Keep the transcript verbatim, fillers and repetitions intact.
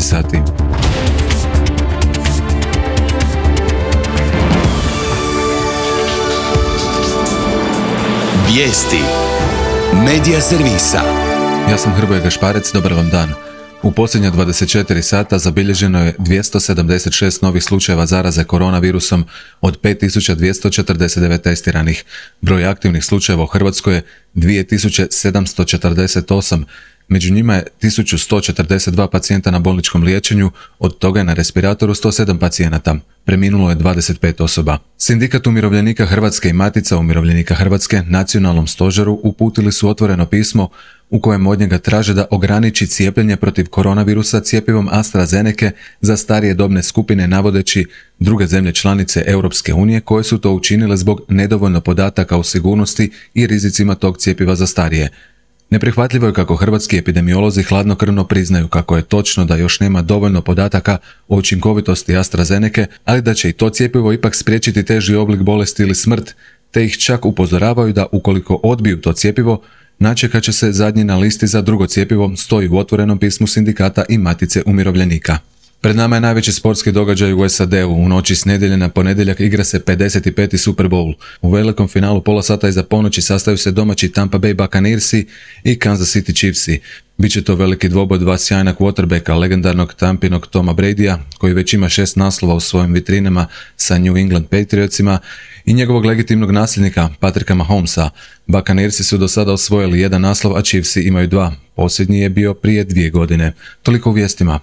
dvanaest sati. Vijesti Medija servisa. Ja sam Hrvoje Gašparec, dobar vam dan. U posljednja dvadeset četiri sata zabilježeno je dvjesto sedamdeset šest novih slučajeva zaraze koronavirusom od pet tisuća dvjesto četrdeset devet testiranih. Broj aktivnih slučajeva u Hrvatskoj je dvije tisuće sedamsto četrdeset osam. Među njima je tisuću sto četrdeset dva pacijenta na bolničkom liječenju, od toga je na respiratoru sto sedam pacijenata. Preminulo je dvadeset pet osoba. Sindikat umirovljenika Hrvatske i Matica umirovljenika Hrvatske nacionalnom stožeru uputili su otvoreno pismo u kojem od njega traže da ograniči cijepljenje protiv koronavirusa cjepivom AstraZenece za starije dobne skupine, navodeći druge zemlje članice Europske unije koje su to učinile zbog nedovoljno podataka o sigurnosti i rizicima tog cjepiva za starije. Neprihvatljivo je kako hrvatski epidemiolozi hladnokrvno priznaju kako je točno da još nema dovoljno podataka o učinkovitosti AstraZenece, ali da će i to cjepivo ipak spriječiti teži oblik bolesti ili smrt, te ih čak upozoravaju da ukoliko odbiju to cjepivo, načekat će se zadnji na listi za drugo cjepivo, stoji u otvorenom pismu sindikata i Matice umirovljenika. Pred nama je najveći sportski događaj u S A D-u. U noći s nedjelje na ponedjeljak igra se pedeset peti Super Bowl. U velikom finalu pola sata iza ponoći sastaju se domaći Tampa Bay Buccaneersi i Kansas City Chiefsi. Biće to veliki dvoboj dva sjajna quarterbacka, legendarnog Tampinog Toma Bradya, koji već ima šest naslova u svojim vitrinama sa New England Patriotsima, i njegovog legitimnog nasljednika Patricka Mahomesa. Buccaneersi su do sada osvojili jedan naslov, a Chiefsi imaju dva. Posljednji je bio prije dvije godine. Toliko u vijestima.